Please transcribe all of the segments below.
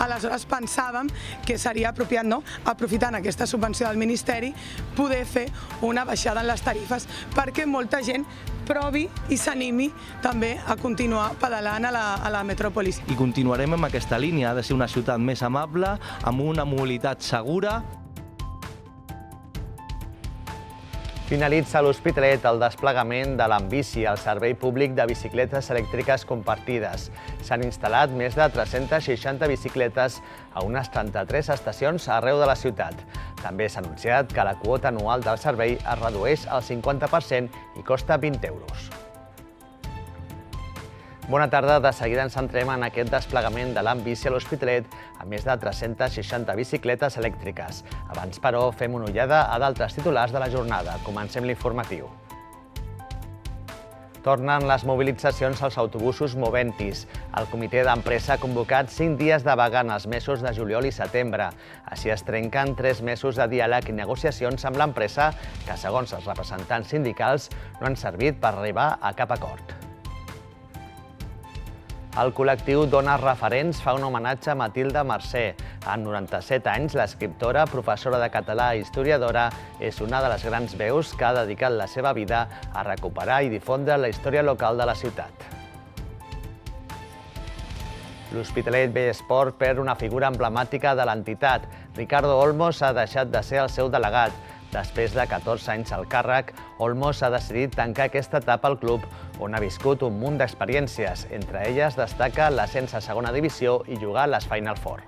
Aleshores pensàvem que seria apropiat, aprofitant aquesta subvenció del Ministeri, poder fer una baixada en les tarifes perquè molta gent provi i s'animi també a continuar pedalant a la metròpolis. I continuarem amb aquesta línia, ha de ser una ciutat més amable, amb una mobilitat segura. Finalitza a l'Hospitalet el desplegament de l'Ambici, el servei públic de bicicletes elèctriques compartides. S'han instal·lat més de 360 bicicletes a unes 33 estacions arreu de la ciutat. També s'ha anunciat que la quota anual del servei es redueix al 50% i costa 20 euros. Bona tarda, de seguida ens centrem en aquest desplegament de l'Ambici a l'Hospitalet amb més de 360 bicicletes elèctriques. Abans, però, fem una ullada a d'altres titulars de la jornada. Comencem l'informatiu. Tornen les mobilitzacions als autobusos Moventis. El comitè d'empresa ha convocat 5 dies de vaga en els mesos de juliol i setembre. Així es trenquen 3 mesos de diàleg i negociacions amb l'empresa que, segons els representants sindicals, no han servit per arribar a cap acord. El col·lectiu Dones Referents fa un homenatge a Matilde Mercè. Amb 97 anys, l'escriptora, professora de català i historiadora, és una de les grans veus que ha dedicat la seva vida a recuperar i difondre la història local de la ciutat. L'Hospitalet Bellesport perd una figura emblemàtica de l'entitat. Ricardo Olmos ha deixat de ser el seu delegat. Després de 14 anys al càrrec, Olmos ha decidit tancar aquesta etapa al club, on ha viscut un munt d'experiències. Entre elles destaca l'ascens a segona divisió i jugar a les Final Four.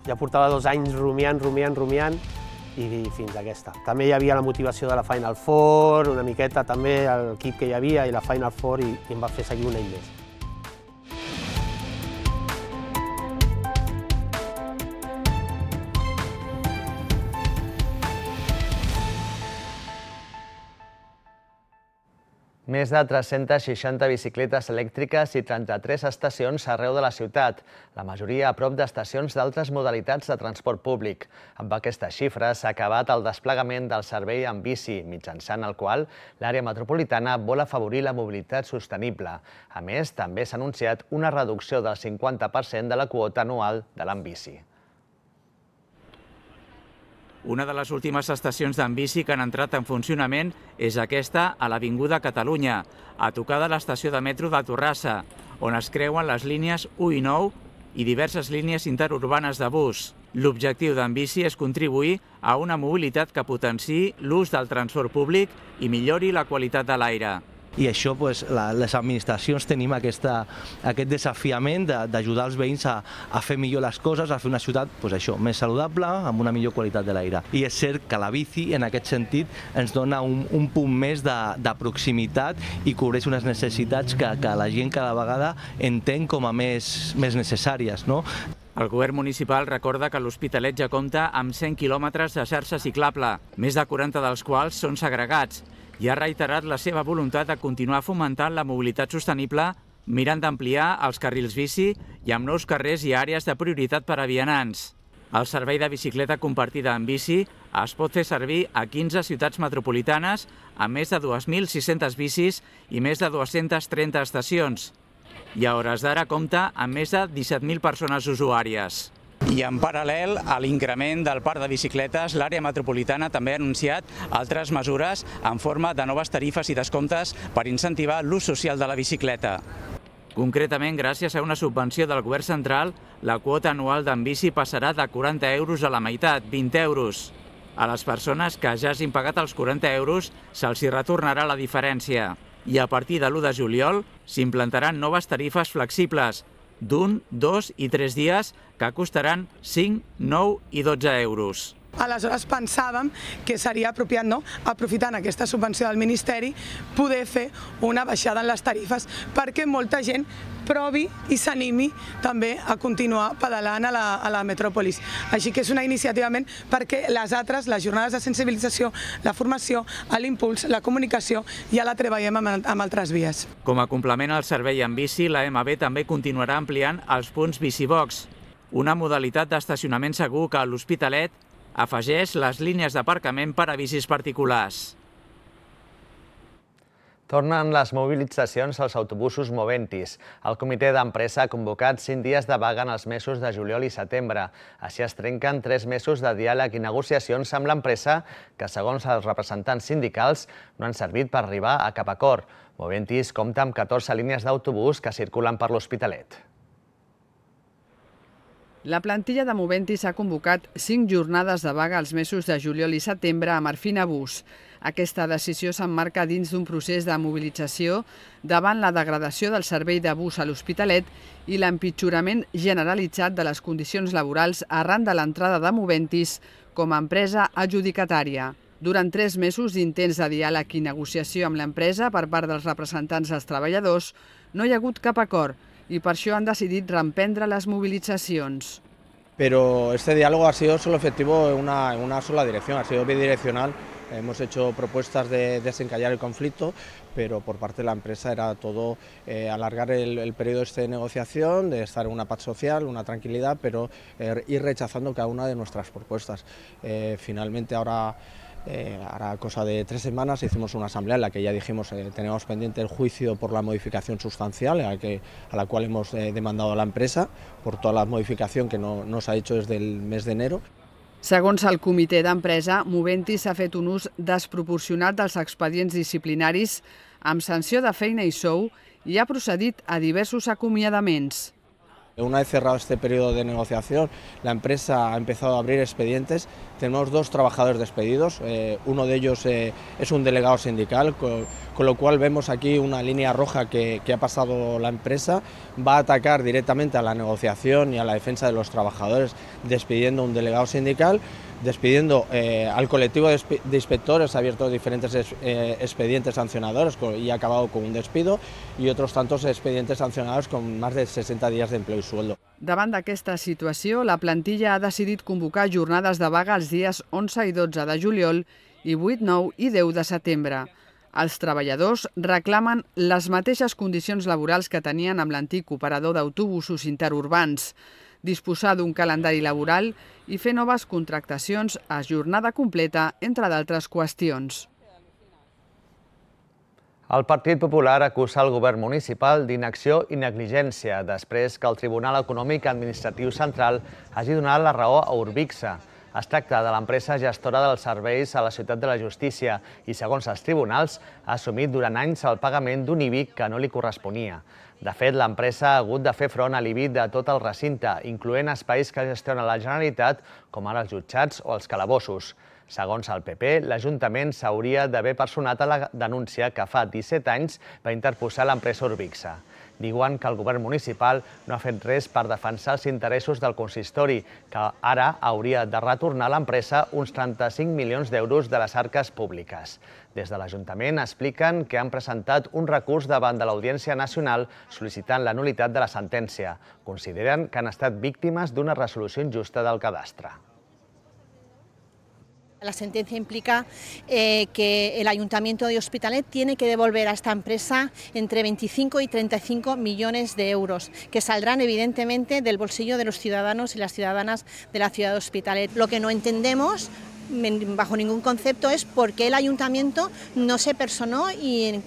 Ja portava 2 anys rumiant i fins a aquesta. També hi havia la motivació de la Final Four, una miqueta també l'equip que hi havia i la Final Four i em va fer seguir un any més. Més de 360 bicicletes elèctriques i 33 estacions arreu de la ciutat, la majoria a prop d'estacions d'altres modalitats de transport públic. Amb aquestes xifres s'ha acabat el desplegament del servei en bici, mitjançant el qual l'àrea metropolitana vol afavorir la mobilitat sostenible. A més, també s'ha anunciat una reducció del 50% de la quota anual de l'Ambici. Una de les últimes estacions d'Ambici que han entrat en funcionament és aquesta a l'Avinguda Catalunya, a tocar de l'estació de metro de Torrassa, on es creuen les línies 1 i 9 i diverses línies interurbanes de bus. L'objectiu d'Ambici és contribuir a una mobilitat que potenciï l'ús del transport públic i millori la qualitat de l'aire. I això, les administracions tenim aquest desafiament d'ajudar els veïns a fer millor les coses, a fer una ciutat més saludable, amb una millor qualitat de l'aire. I és cert que la bici, en aquest sentit, ens dona un punt més de proximitat i cobreix unes necessitats que la gent cada vegada entén com a més necessàries. El govern municipal recorda que l'Hospitalet ja compta amb 100 quilòmetres de xarxa ciclable, més de 40 dels quals són segregats, i ha reiterat la seva voluntat de continuar fomentant la mobilitat sostenible, mirant d'ampliar els carrils bici i amb nous carrers i àrees de prioritat per a vianants. El servei de bicicleta compartida en bici es pot fer servir a 15 ciutats metropolitanes amb més de 2.600 bicis i més de 230 estacions. I a hores d'ara compta amb més de 17.000 persones usuàries. I en paral·lel a l'increment del parc de bicicletes, l'àrea metropolitana també ha anunciat altres mesures en forma de noves tarifes i descomptes per incentivar l'ús social de la bicicleta. Concretament, gràcies a una subvenció del govern central, la quota anual d'Ambici passarà de 40 euros a la meitat, 20 euros. A les persones que ja hagin pagat els 40 euros se'ls retornarà la diferència. I a partir de l'1 de juliol s'implantaran noves tarifes flexibles, d'1, 2 i 3 dies, que costaran 5, 9 i 12 euros. Aleshores pensàvem que seria apropiat, aprofitant aquesta subvenció del Ministeri, poder fer una baixada en les tarifes perquè molta gent provi i s'animi també a continuar pedalant a la metròpolis. Així que és una iniciativa perquè les altres, les jornades de sensibilització, la formació, l'impuls, la comunicació, ja la treballem amb altres vies. Com a complement al servei en bici, la MB també continuarà ampliant els punts BiciBox, una modalitat d'estacionament segur que a l'Hospitalet afegeix les línies d'aparcament per a bicis particulars. Tornen les mobilitzacions als autobusos Moventis. El comitè d'empresa ha convocat 5 dies de vaga en els mesos de juliol i setembre. Així es trenquen 3 mesos de diàleg i negociacions amb l'empresa que, segons els representants sindicals, no han servit per arribar a cap acord. Moventis compta amb 14 línies d'autobús que circulen per l'Hospitalet. La plantilla de Moventis ha convocat 5 jornades de vaga als mesos de juliol i setembre a Marfina Bus. Aquesta decisió s'emmarca dins d'un procés de mobilització davant la degradació del servei de bus a l'Hospitalet i l'empitjorament generalitzat de les condicions laborals arran de l'entrada de Moventis com a empresa adjudicatària. Durant 3 mesos d'intents de diàleg i negociació amb l'empresa per part dels representants dels treballadors, no hi ha hagut cap acord i per això han decidit reemprendre les movilitzacions. Pero este diálogo ha sido solo efectivo en una sola dirección, ha sido bidireccional. Hemos hecho propuestas de desencallar el conflicto, pero por parte de la empresa era todo alargar el periodo de negociación, de estar en una paz social, una tranquilidad, pero ir rechazando cada una de nuestras propuestas. Finalmente ahora, hará cosa de 3 semanas, hicimos una asamblea en la que ya dijimos teníamos pendiente el juicio por la modificación sustancial a la cual hemos demandado a la empresa por toda la modificación que no se ha hecho desde el mes de enero. Segons el comitè d'empresa, Moventis ha fet un ús desproporcionat dels expedients disciplinaris amb sanció de feina i sou i ha procedit a diversos acomiadaments. Una vez cerrado este periodo de negociación, la empresa ha empezado a abrir expedientes. Tenemos 2 trabajadores despedidos, uno de ellos es un delegado sindical, con lo cual vemos aquí una línea roja que ha pasado la empresa. Va a atacar directamente a la negociación y a la defensa de los trabajadores, despidiendo a un delegado sindical, despidiendo al colectivo de inspectores, ha abierto diferentes expedientes sancionadores y ha acabado con un despido, y otros tantos expedientes sancionadores con más de 60 días de empleo y sueldo. Davant d'aquesta situació, la plantilla ha decidit convocar jornades de vaga els dies 11 i 12 de juliol i 8, 9 i 10 de setembre. Els treballadors reclamen les mateixes condicions laborals que tenien amb l'antic operador d'autobusos interurbans, disposar d'un calendari laboral i fer noves contractacions a jornada completa, entre d'altres qüestions. El Partit Popular acusa el govern municipal d'inacció i negligència després que el Tribunal Econòmic Administratiu Central hagi donat la raó a Urbixa. Es tracta de l'empresa gestora dels serveis a la Ciutat de la Justícia i, segons els tribunals, ha assumit durant anys el pagament d'un IBI que no li corresponia. De fet, l'empresa ha hagut de fer front a l'IBI de tot el recinte, incloent espais que gestiona la Generalitat, com ara els jutjats o els calabossos. Segons el PP, l'Ajuntament s'hauria d'haver personat a la denúncia que fa 17 anys va interposar l'empresa Urbixa. Diuen que el govern municipal no ha fet res per defensar els interessos del consistori, que ara hauria de retornar a l'empresa uns 35 milions d'euros de les arques públiques. Des de l'Ajuntament expliquen que han presentat un recurs davant de l'Audiència Nacional sol·licitant la nul·litat de la sentència. Consideren que han estat víctimes d'una resolució injusta del cadastre. La sentencia implica que el Ayuntamiento de Hospitalet tiene que devolver a esta empresa entre 25 y 35 millones de euros, que saldrán evidentemente del bolsillo de los ciudadanos y las ciudadanas de la ciudad de Hospitalet. Lo que no entendemos, bajo ningún concepto, es por qué el Ayuntamiento no se personó y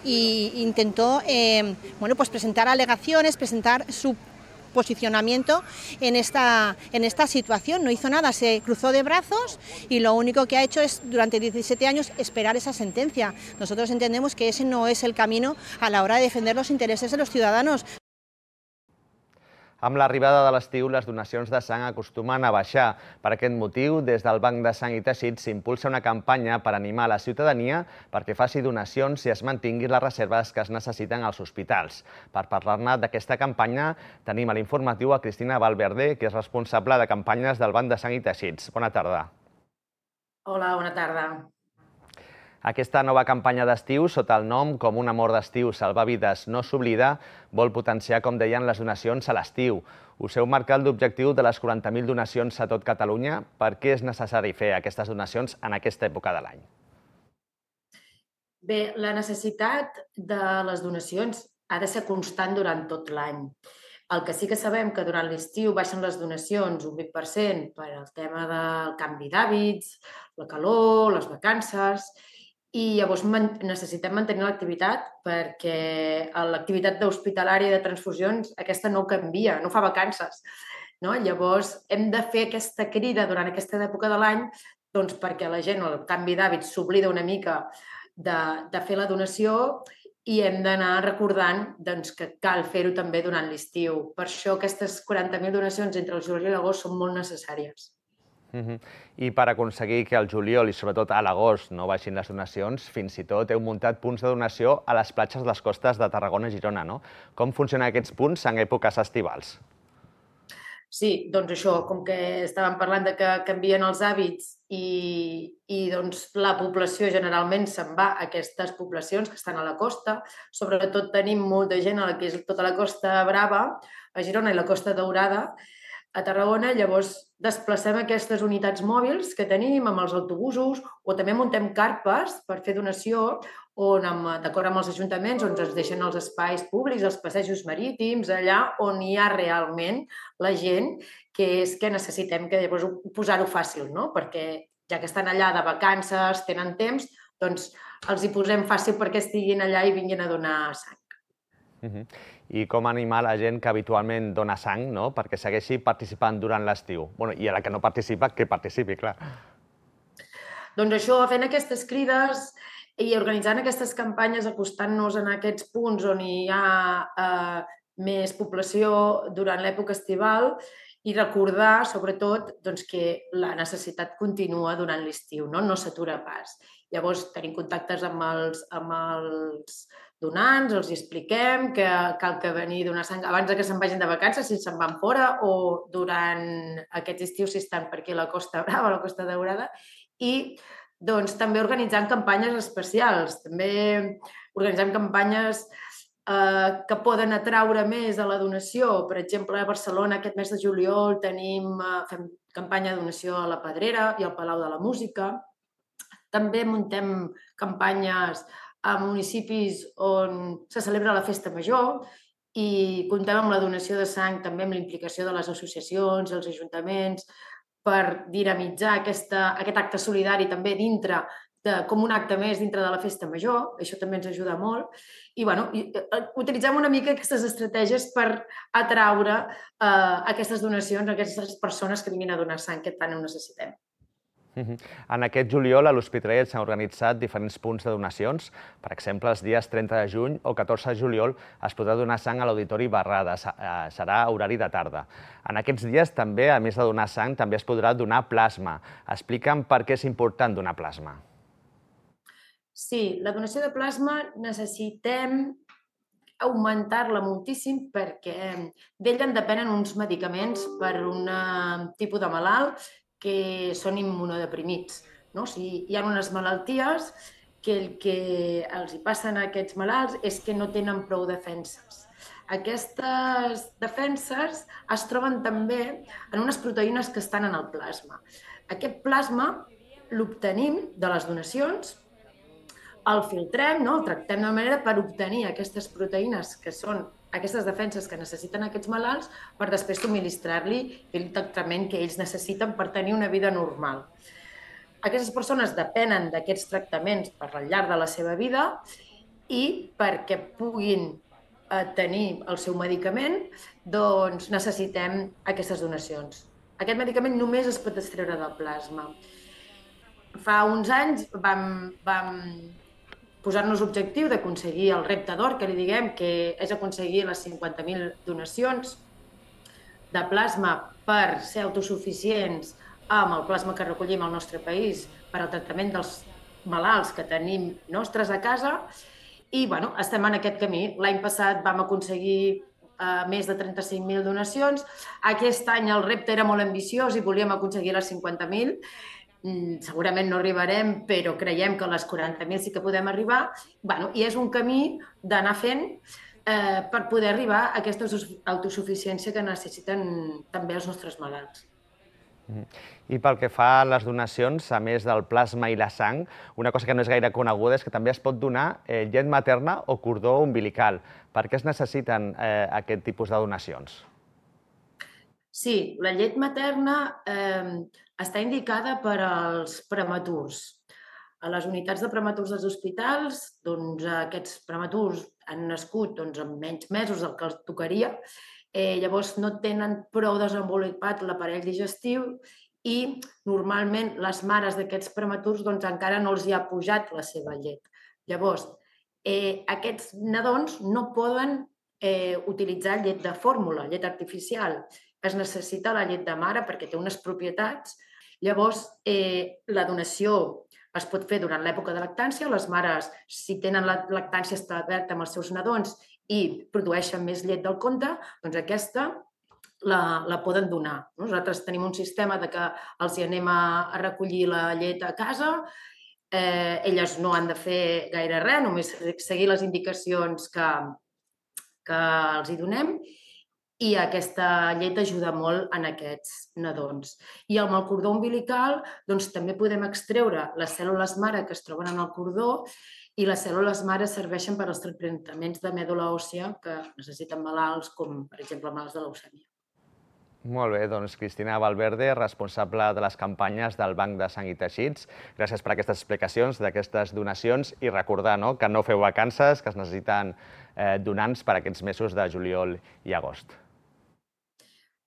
intentó presentar alegaciones, presentar su posicionamiento en esta situación. No hizo nada, se cruzó de brazos y lo único que ha hecho es, durante 17 años, esperar esa sentencia. Nosotros entendemos que ese no es el camino a la hora de defender los intereses de los ciudadanos. Amb l'arribada de l'estiu, les donacions de sang acostumen a baixar. Per aquest motiu, des del Banc de Sang i Teixits s'impulsa una campanya per animar la ciutadania perquè faci donacions i es mantinguin les reserves que es necessiten als hospitals. Per parlar-ne d'aquesta campanya, tenim a l'informatiu a Cristina Valverde, que és responsable de campanyes del Banc de Sang i Teixits. Bona tarda. Hola, bona tarda. Aquesta nova campanya d'estiu, sota el nom Com un amor d'estiu, salvar vides no s'oblida, vol potenciar, com deien, les donacions a l'estiu. Us heu marcat l'objectiu de les 40.000 donacions a tot Catalunya. Per què és necessari fer aquestes donacions en aquesta època de l'any? Bé, la necessitat de les donacions ha de ser constant durant tot l'any. El que sí que sabem que durant l'estiu baixen les donacions un 20% per al tema del canvi d'hàbits, la calor, les vacances, i llavors necessitem mantenir l'activitat perquè l'activitat hospitalària de transfusions aquesta no canvia, no fa vacances. Llavors hem de fer aquesta crida durant aquesta època de l'any perquè la gent, el canvi d'hàbits, s'oblida una mica de fer la donació i hem d'anar recordant que cal fer-ho també durant l'estiu. Per això aquestes 40.000 donacions entre el juliol i l'agost són molt necessàries. I per aconseguir que al juliol i sobretot a l'agost no baixin les donacions, fins i tot heu muntat punts de donació a les platges de les costes de Tarragona i Girona, no? Com funcionen aquests punts en èpoques estivals? Sí, doncs això, com que estàvem parlant de que canvien els hàbits i la població generalment se'n va a aquestes poblacions que estan a la costa, sobretot tenim molta gent a la que és tota la Costa Brava, a Girona i la Costa Daurada, a Tarragona, llavors desplacem aquestes unitats mòbils que tenim amb els autobusos o també muntem carpes per fer donació on, d'acord amb els ajuntaments, on ens deixen els espais públics, els passejos marítims, allà on hi ha realment la gent, que és que necessitem que llavors posar-ho fàcil, no? Perquè ja que estan allà de vacances, tenen temps, doncs els hi posem fàcil perquè estiguin allà i vinguin a donar sang. I com animar la gent que habitualment dona sang perquè segueixi participant durant l'estiu? I a la que no participa, que participi, clar. Doncs això, fent aquestes crides i organitzant aquestes campanyes, acostant-nos en aquests punts on hi ha més població durant l'època estival i recordar, sobretot, que la necessitat continua durant l'estiu, no s'atura pas. Llavors, tenim contactes amb els donants, els expliquem que cal que venir a donar sang abans que se'n vagin de vacances, si se'n van fora, o durant aquests estius si estan per aquí a la Costa Brava, a la Costa Daurada, i també organitzant campanyes especials. També organitzem campanyes que poden atraure més a la donació. Per exemple, a Barcelona aquest mes de juliol fem campanya de donació a la Pedrera i al Palau de la Música. També muntem campanyes a municipis on se celebra la Festa Major i comptem amb la donació de sang, també amb la implicació de les associacions, els ajuntaments, per dinamitzar aquest acte solidari també dintre, com un acte més dintre de la Festa Major. Això també ens ajuda molt. I utilitzem una mica aquestes estratègies per atraure aquestes donacions a aquestes persones que vinguin a donar sang que tant ho necessitem. En aquest juliol a l'Hospitalet s'han organitzat diferents punts de donacions. Per exemple, els dies 30 de juny o 14 de juliol es podrà donar sang a l'Auditori Barrada. Serà horari de tarda. En aquests dies també, a més de donar sang, també es podrà donar plasma. Explica'm per què és important donar plasma. Sí, la donació de plasma necessitem augmentar-la moltíssim perquè d'ella en depenen uns medicaments per un tipus de malalt que són immunodeprimits. Hi ha unes malalties que el que els passen a aquests malalts és que no tenen prou defenses. Aquestes defenses es troben també en unes proteïnes que estan en el plasma. Aquest plasma l'obtenim de les donacions, el filtrem, el tractem de manera per obtenir aquestes proteïnes que són aquestes defenses que necessiten aquests malalts per després subministrar-li el tractament que ells necessiten per tenir una vida normal. Aquestes persones depenen d'aquests tractaments per al llarg de la seva vida i perquè puguin tenir el seu medicament, doncs necessitem aquestes donacions. Aquest medicament només es pot extreure del plasma. Fa uns anys vam posar-nos l'objectiu d'aconseguir el repte d'or, que li diguem, que és aconseguir les 50.000 donacions de plasma per ser autosuficients amb el plasma que recollim al nostre país per al tractament dels malalts que tenim nostres a casa i estem en aquest camí. L'any passat vam aconseguir més de 35.000 donacions. Aquest any el repte era molt ambiciós i volíem aconseguir les 50.000. Segurament no arribarem, però creiem que a les 40.000 sí que podem arribar. I és un camí d'anar fent per poder arribar a aquesta autosuficiència que necessiten també els nostres malalts. I pel que fa a les donacions, a més del plasma i la sang, una cosa que no és gaire coneguda és que també es pot donar llet materna o cordó umbilical. Per què es necessiten aquest tipus de donacions? Sí, la llet materna està indicada per als prematurs. A les unitats de prematurs dels hospitals, aquests prematurs han nascut amb menys mesos del que els tocaria, llavors no tenen prou desenvolupat l'aparell digestiu i normalment les mares d'aquests prematurs encara no els hi ha pujat la seva llet. Llavors, aquests nadons no poden utilitzar llet de fórmula, llet artificial. Es necessita la llet de mare perquè té unes propietats. Llavors, la donació es pot fer durant l'època de lactància. Les mares, si tenen la lactància establerta amb els seus nadons i produeixen més llet del compte, doncs aquesta la poden donar. Nosaltres tenim un sistema que els hi anem a recollir la llet a casa. Elles no han de fer gaire res, només seguir les indicacions que els hi donem, i aquesta llet ajuda molt en aquests nadons. I amb el cordó umbilical també podem extreure les cèl·lules mare que es troben en el cordó, i les cèl·lules mare serveixen per als tractaments de mèdula òssia que necessiten malalts com, per exemple, malalts de leucèmia. Molt bé, doncs Cristina Valverde, responsable de les campanyes del Banc de Sang i Teixits. Gràcies per aquestes explicacions d'aquestes donacions i recordar que no feu vacances, que es necessiten donants per aquests mesos de juliol i agost.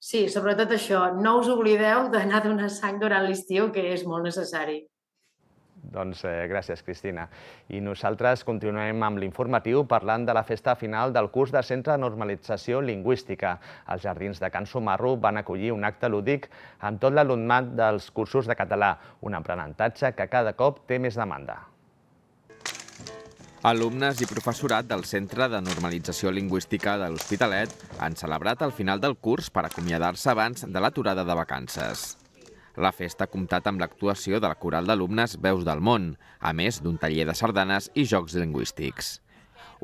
Sí, sobretot això, no us oblideu d'anar a donar sang durant l'estiu, que és molt necessari. Doncs gràcies, Cristina. I nosaltres continuem amb l'informatiu parlant de la festa final del curs de Centre de Normalització Lingüística. Els jardins de Can Sumarro van acollir un acte lúdic amb tot l'alumnat dels cursos de català, un aprenentatge que cada cop té més demanda. Alumnes i professorat del Centre de Normalització Lingüística de l'Hospitalet han celebrat el final del curs per acomiadar-se abans de l'aturada de vacances. La festa ha comptat amb l'actuació de la coral d'alumnes Veus del Món, a més d'un taller de sardanes i jocs lingüístics.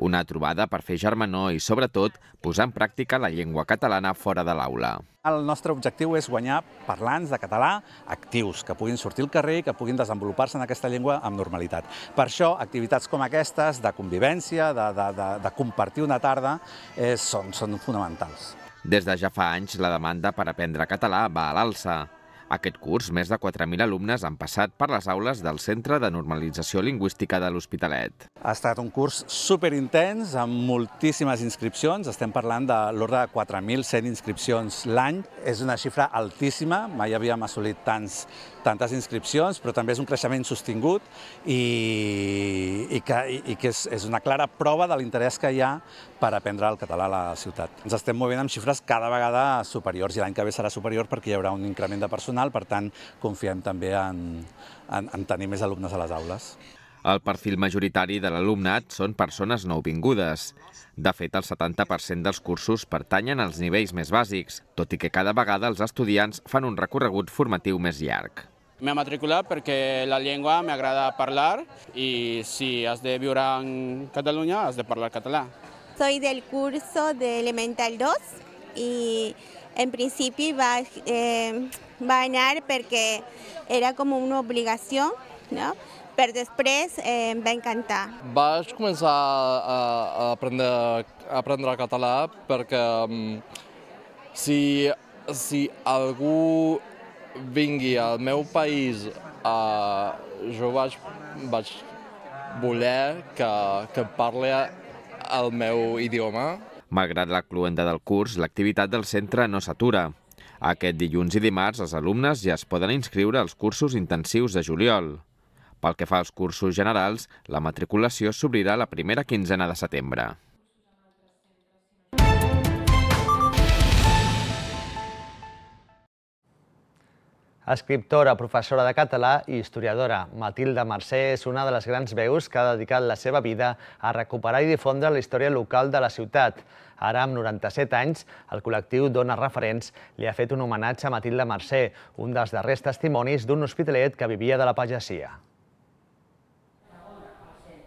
Una trobada per fer germanor i, sobretot, posar en pràctica la llengua catalana fora de l'aula. El nostre objectiu és guanyar parlants de català actius, que puguin sortir al carrer i que puguin desenvolupar-se en aquesta llengua amb normalitat. Per això, activitats com aquestes, de convivència, de compartir una tarda, són fonamentals. Des de ja fa anys, la demanda per aprendre català va a l'alça. Aquest curs, més de 4.000 alumnes han passat per les aules del Centre de Normalització Lingüística de l'Hospitalet. Ha estat un curs superintens, amb moltíssimes inscripcions. Estem parlant de l'ordre de 4.100 inscripcions l'any. És una xifra altíssima, mai havíem assolit tantes inscripcions, però també és un creixement sostingut i que és una clara prova de l'interès que hi ha per aprendre el català a la ciutat. Ens estem movent amb xifres cada vegada superiors i l'any que ve serà superior perquè hi haurà un increment de personal, per tant, confiem també en tenir més alumnes a les aules. El perfil majoritari de l'alumnat són persones nouvingudes. De fet, el 70% dels cursos pertanyen als nivells més bàsics, tot i que cada vegada els estudiants fan un recorregut formatiu més llarg. M'he matriculat perquè la llengua m'agrada parlar i si has de viure en Catalunya has de parlar català. Soy del curso de Elemental 2 y en principi va anar perquè era com una obligació, no? Però després em va encantar. Vaig començar a aprendre català perquè si algú vingui al meu país, jo vaig voler que parli el meu idioma. Malgrat la cloenda del curs, l'activitat del centre no s'atura. Aquest dilluns i dimarts els alumnes ja es poden inscriure als cursos intensius de juliol. Pel que fa als cursos generals, la matriculació s'obrirà la primera quinzena de setembre. Escriptora, professora de català i historiadora, Matilde Mercè és una de les grans veus que ha dedicat la seva vida a recuperar i difondre la història local de la ciutat. Ara, amb 97 anys, el col·lectiu Dones Referents li ha fet un homenatge a Matilde Mercè, un dels darrers testimonis d'un hospitalet que vivia de la pagesia.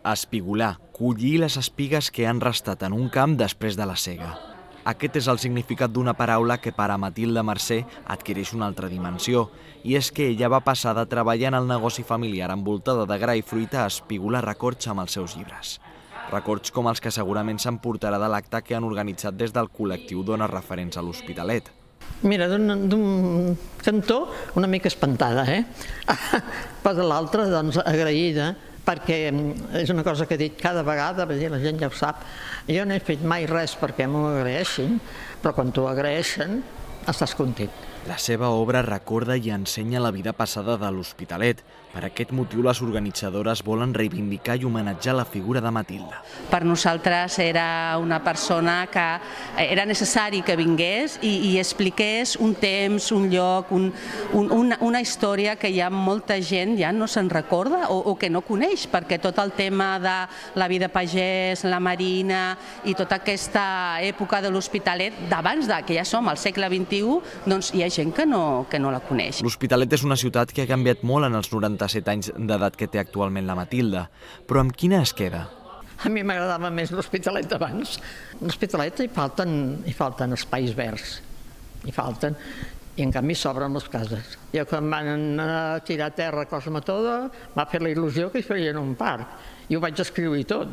Espigolar, collir les espigues que han restat en un camp després de la sega. Aquest és el significat d'una paraula que per a Matilde Mercè adquireix una altra dimensió, i és que ella va passar de treballar en el negoci familiar envoltada de gra i fruita a espigolar records amb els seus llibres. Records com els que segurament s'emportarà de l'acte que han organitzat des del col·lectiu Dones Referents a l'Hospitalet. Mira, d'un cantó una mica espantada, però de l'altre, doncs, agraïda, perquè és una cosa que he dit cada vegada, la gent ja ho sap. Jo no he fet mai res perquè m'ho agraeixin, però quan t'ho agraeixen estàs content. La seva obra recorda i ensenya la vida passada de l'Hospitalet. Per aquest motiu, les organitzadores volen reivindicar i homenatjar la figura de Matilde. Per nosaltres era una persona que era necessari que vingués i expliqués un temps, un lloc, una història que ja molta gent ja no se'n recorda o que no coneix, perquè tot el tema de la vida pagès, la marina i tota aquesta època de l'Hospitalet, d'abans que ja som al segle XXI, doncs hi ha gent que no la coneix. L'Hospitalet és una ciutat que ha canviat molt en els 97 anys d'edat que té actualment la Matilde, però amb quina es queda? A mi m'agradava més l'Hospitalet d'abans. L'Hospitalet hi falten espais verds, hi falten, i en canvi s'obren les cases. Jo quan van tirar a terra Cosmetoda m'ha fet la il·lusió que hi feien un parc, i ho vaig escriure i tot.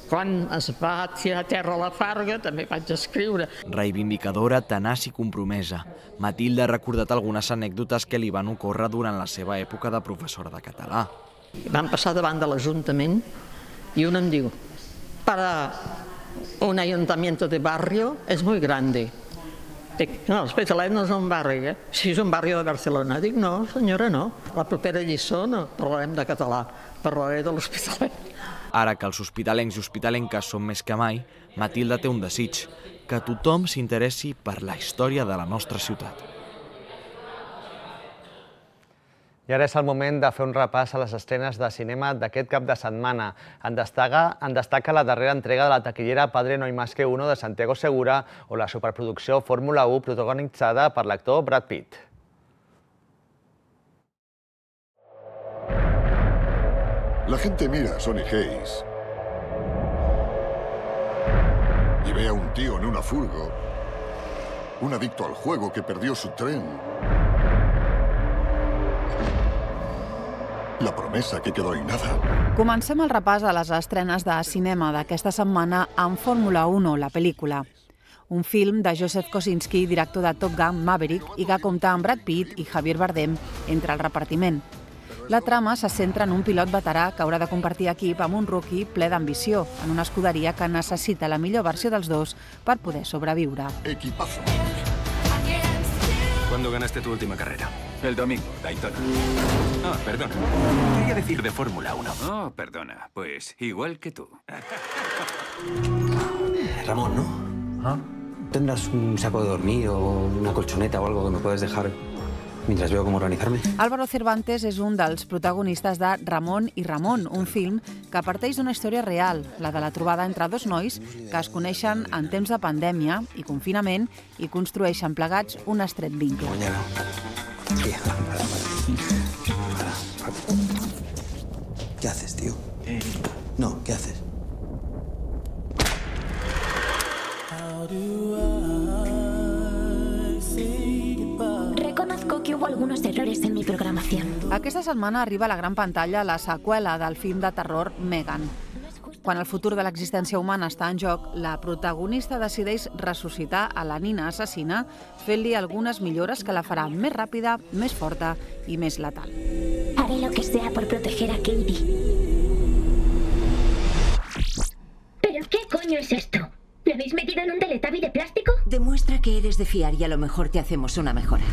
Quan es va tirar a terra la Farga també vaig escriure. Reivindicadora, tenaç i compromesa, Matilde ha recordat algunes anècdotes que li van ocórrer durant la seva època de professora de català. Vam passar davant de l'Ajuntament i un em diu: para un ayuntamiento de barrio es muy grande. Dic, no, l'Hospitalet no és un barri, Si és un barri de Barcelona. Dic, no, senyora, no. La propera lliçó no parlarem de català, parlaré de l'Hospitalet. Ara que els hospitalencs i hospitalenques són més que mai, Matilde té un desig, que tothom s'interessi per la història de la nostra ciutat. I ara és el moment de fer un repàs a les estrenes de cinema d'aquest cap de setmana. En destaca la darrera entrega de la taquillera Padre no hay más que uno de Santiago Segura o la superproducció Fórmula 1 protagonitzada per l'actor Brad Pitt. La gente mira a Sonny Hayes y ve a un tío en una furgo, un adicto al juego que perdió su tren, la promesa que quedó en nada. Comencem el repàs a les estrenes de cinema d'aquesta setmana amb Fórmula 1, la pel·lícula. Un film de Joseph Kosinski, director de Top Gun Maverick, i que compta amb Brad Pitt i Javier Bardem entre el repartiment. La trama se centra en un pilot veterà que haurà de compartir equip amb un rookie ple d'ambició, en una escuderia que necessita la millor versió dels dos per poder sobreviure. Equipazo. ¿Cuándo ganaste tu última carrera? El domingo, Daytona. Ah, perdona. Quería decir de Fórmula 1. Oh, perdona. Pues igual que tú. Ramón, ¿no? ¿Ah? ¿Tendrás un saco de dormir o una colchoneta o algo que me puedes dejar mientras veo cómo organizarme? Álvaro Cervantes és un dels protagonistes de Ramon i Ramon, un film que parteix d'una història real, la de la trobada entre dos nois que es coneixen en temps de pandèmia i confinament i construeixen plegats un estret vincle. ¿Qué haces, tío? No, ¿qué haces? Reconozco que hubo algunos errores en mi programación. Aquesta setmana arriba a la gran pantalla la seqüela del film de terror Megan. Quan el futur de l'existència humana està en joc, la protagonista decideix ressuscitar a la nina assassina fent-li algunes millores que la farà més ràpida, més forta i més letal. Haré lo que sea por proteger a Katie. ¿Pero qué coño es esto? ¿Me habéis metido en un Teletubby de plástico? Demuestra que eres de fiar y a lo mejor te hacemos una mejora.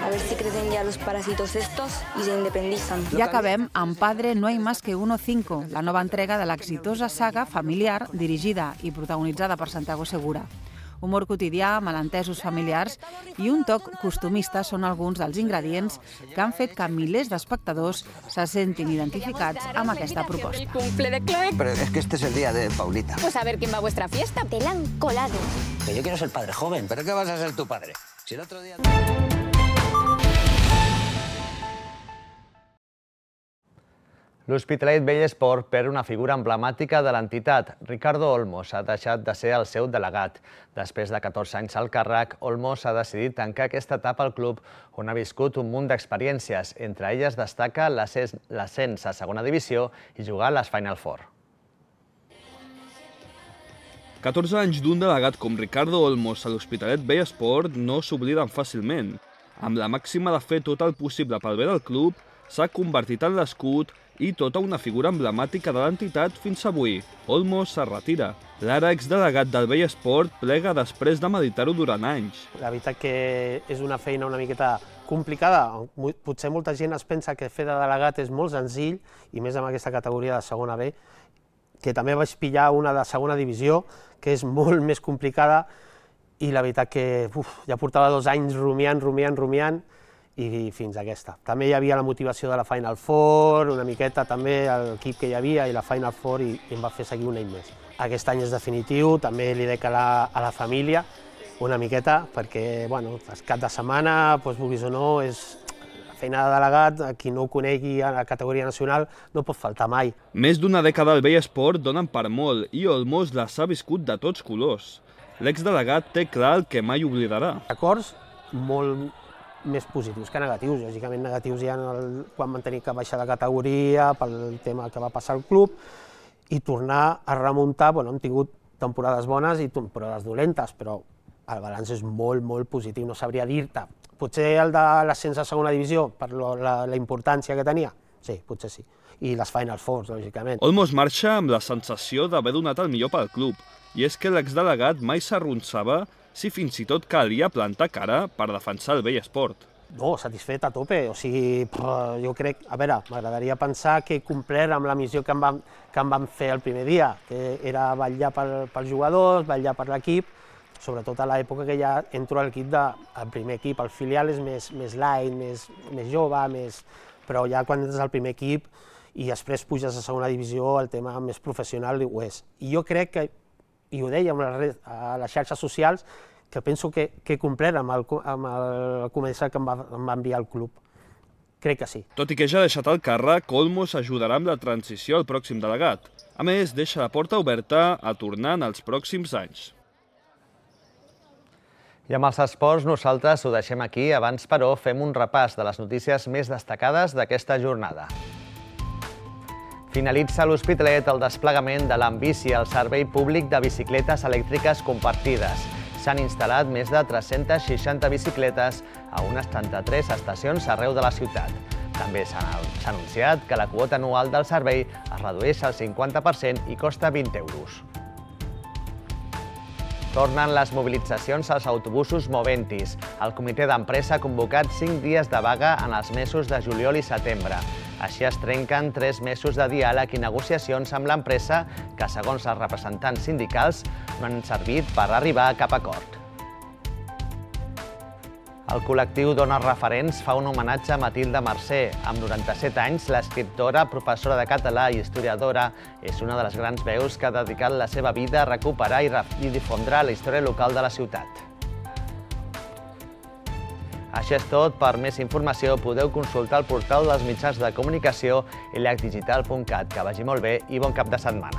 A ver si crecen ya los parásitos estos y se independizan. I acabem amb Padre no hay más que uno 5, la nova entrega de l'exitosa saga familiar dirigida i protagonitzada per Santiago Segura. Humor quotidià, malentesos familiars i un toc costumista són alguns dels ingredients que han fet que milers d'espectadors se sentin identificats amb aquesta proposta. Pero es que este es el día de Paulita. Pues a ver quién va a vuestra fiesta. Te la han colado. Que yo quiero ser padre joven. ¿Pero qué vas a ser tu padre? Si el otro día... L'Hospitalet Vell Esport perd una figura emblemàtica de l'entitat. Ricardo Olmos ha deixat de ser el seu delegat. Després de 14 anys al càrrec, Olmos ha decidit tancar aquesta etapa al club, on ha viscut un munt d'experiències. Entre elles destaca l'ascens a segona divisió i jugar a les Final Four. 14 anys d'un delegat com Ricardo Olmos a l'Hospitalet Vell Esport no s'obliden fàcilment. Amb la màxima de fer tot el possible pel bé del club, s'ha convertit en l'escut i tota una figura emblemàtica de l'entitat fins avui. Olmos se retira. L'ara exdelegat del Vell Esport plega després de meditar-ho durant anys. La veritat que és una feina una miqueta complicada. Potser molta gent es pensa que fer de delegat és molt senzill, i més amb aquesta categoria de segona B, que també vaig pillar una de segona divisió, que és molt més complicada, i la veritat que ja portava 2 anys rumiant, i fins a aquesta. També hi havia la motivació de la Final Four, una miqueta també l'equip que hi havia i la Final Four, i em va fer seguir un any més. Aquest any és definitiu, també li dec a la família una miqueta, perquè el cap de setmana, vulguis o no, és la feina de delegat, a qui no ho conegui a la categoria nacional, no pot faltar mai. Més d'una dècada al Vell Esport donen per molt, i Olmos les ha viscut de tots colors. L'exdelegat té clar el que mai oblidarà. Acords molt més positius que negatius. Lògicament negatius hi ha quan van tenir que baixar de categoria pel tema que va passar al club, i tornar a remuntar. Hem tingut temporades bones i temporades dolentes, però el balanç és molt, molt positiu. No sabria dir-te. Potser el de l'ascens a segona divisió, per la importància que tenia? Sí, potser sí. I les Final Fours, lògicament. Olmos marxa amb la sensació d'haver donat el millor pel club, i és que l'exdelegat mai s'arronsava si fins i tot calia plantar cara per defensar el Vell Esport. No, satisfet a tope. O sigui, jo crec, m'agradaria pensar que he complert amb la missió que em van fer el primer dia, que era vetllar pels jugadors, vetllar per l'equip, sobretot a l'època que ja entro a l'equip del primer equip. El filial és més light, més jove, però ja quan entres al primer equip i després puges a segona divisió, el tema més professional ho és. I jo crec que, i ho deia a les xarxes socials, que penso que he complert amb el comissari que em va enviar al club. Crec que sí. Tot i que ja ha deixat el càrrec, Olmos ajudarà amb la transició al pròxim delegat. A més, deixa la porta oberta a tornar en els pròxims anys. I amb els esports nosaltres ho deixem aquí. Abans, però, fem un repàs de les notícies més destacades d'aquesta jornada. Finalitza a l'Hospitalet el desplegament de l'Ambici, el servei públic de bicicletes elèctriques compartides. S'han instal·lat més de 360 bicicletes a unes 33 estacions arreu de la ciutat. També s'ha anunciat que la quota anual del servei es redueix al 50% i costa 20 euros. Tornen les mobilitzacions als autobusos Moventis. El comitè d'empresa ha convocat 5 dies de vaga en els mesos de juliol i setembre. Així es trenquen 3 mesos de diàleg i negociacions amb l'empresa que, segons els representants sindicals, no han servit per arribar a cap acord. El col·lectiu Dones Referents fa un homenatge a Matilde Mercè. Amb 97 anys, l'escriptora, professora de català i historiadora és una de les grans veus que ha dedicat la seva vida a recuperar i difondre la història local de la ciutat. Això és tot. Per més informació podeu consultar el portal dels mitjans de comunicació llacdigital.cat. Que vagi molt bé i bon cap de setmana.